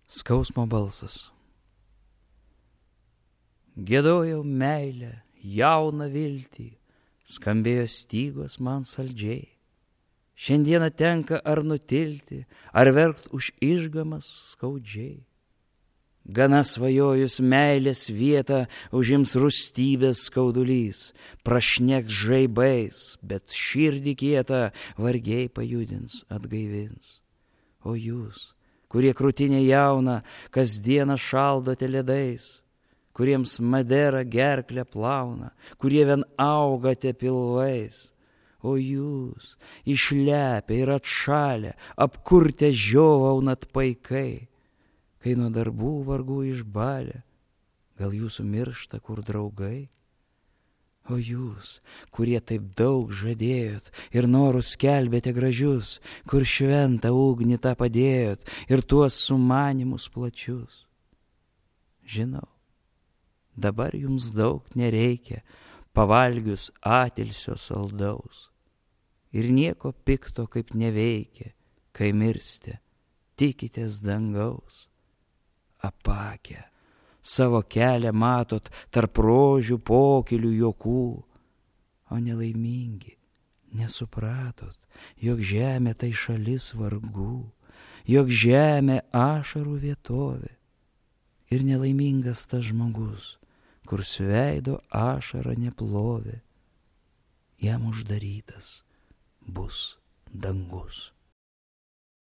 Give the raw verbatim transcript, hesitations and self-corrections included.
Skausmo balsas. Giedojau meilę, jauną viltį, skambėjo stygos man saldžiai. Šiandieną tenka ar nutilti, ar verkt už išgamas skaudžiai. Gana svajojus meilės vietą užims rūstybės skaudulys, prašneks žaibais, bet širdį kietą vargiai pajudins, atgaivins. O jūs, kurie krūtinė jauna, kasdieną šaldote ledais, kuriems madera gerklę plauna, kurie vien augate pilvais. O jūs, išlepę ir atšalę, apkurtę žiovaunat paikai, kai nuo darbų vargų išbalę, gal jūsų miršta kur draugai? O jūs, kurie taip daug žadėjot ir norus skelbėte gražius, kur šventą ugnį tą padėjot ir tuos sumanimus plačius. Žinau, dabar jums daug nereikia, pavalgius atilsio saldaus. Ir nieko pikto kaip neveikia, kai mirste, tikitės dangaus. Apakę, savo kelią matot tarp rožių pokylių juokų, o nelaimingi, nesupratot, jog žemė tai šalis vargų, jog žemė ašarų vietovė. Ir nelaimingas tas žmogus, kur sveido ašara neplovė, jam uždarytas bus dangus.